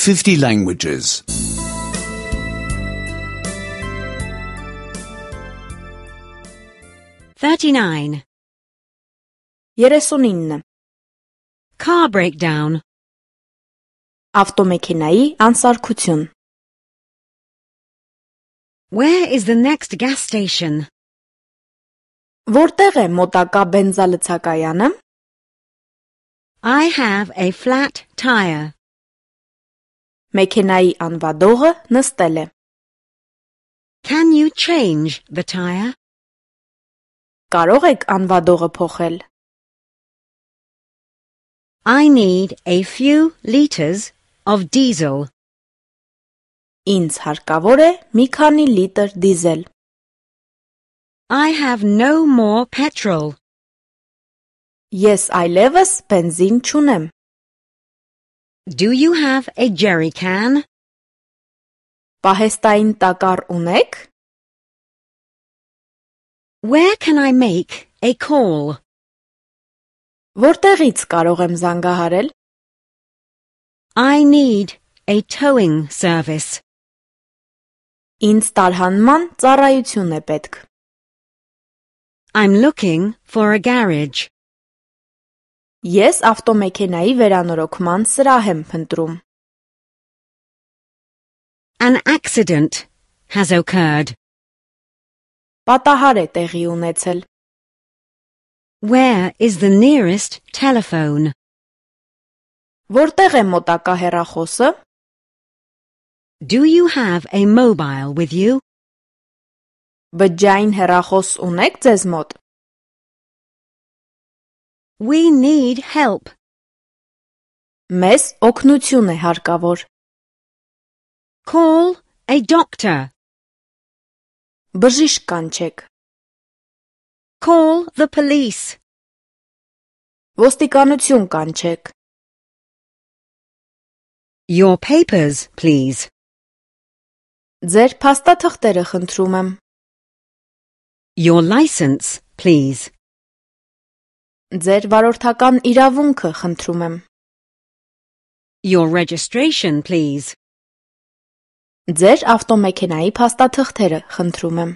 50 languages. 39. 39. Car breakdown. Ավտոմեքենայի անսարքություն. Where is the next gas station? Որտեղ է մոտակա բենզալցակայանը? I have a flat tire. Մեքենայի անվադողը նստել է. Can you change the tire? Կարող եք անվադողը փոխել? I need a few liters of diesel. Ինձ հարկավոր է մի քանի լիտր դիզել. I have no more petrol. Ես այլևս բենզին չունեմ. Do you have a jerry can? Պահեստային տակառ ունեք? Where can I make a call? Որտեղից կարող եմ զանգահարել? I need a towing service. Ինձ տարհանման ծառայություն է պետք. I'm looking for a garage. Ես ավտոմեքենայի վերանորոգման սրահ եմ փնտրում. An accident has occurred. Պատահար է տեղի ունեցել. Where is the nearest telephone? Որտեղ է մոտակա հեռախոսը? Do you have a mobile with you? Բջջային հեռախոս ունեք ձեզ մոտ? We need help. Մեզ օգնություն է հարկավոր. Call a doctor. Բժիշկ կանչեք. Call the police. Ոստիկանություն կանչեք. Your papers, please. Ձեր փաստաթղթերը խնդրում եմ. Your license, please. Ձեր վարորդական իրավունքը խնդրում եմ. Your registration, please. Ձեր ավտոմեքենայի փաստաթղթերը խնդրում եմ.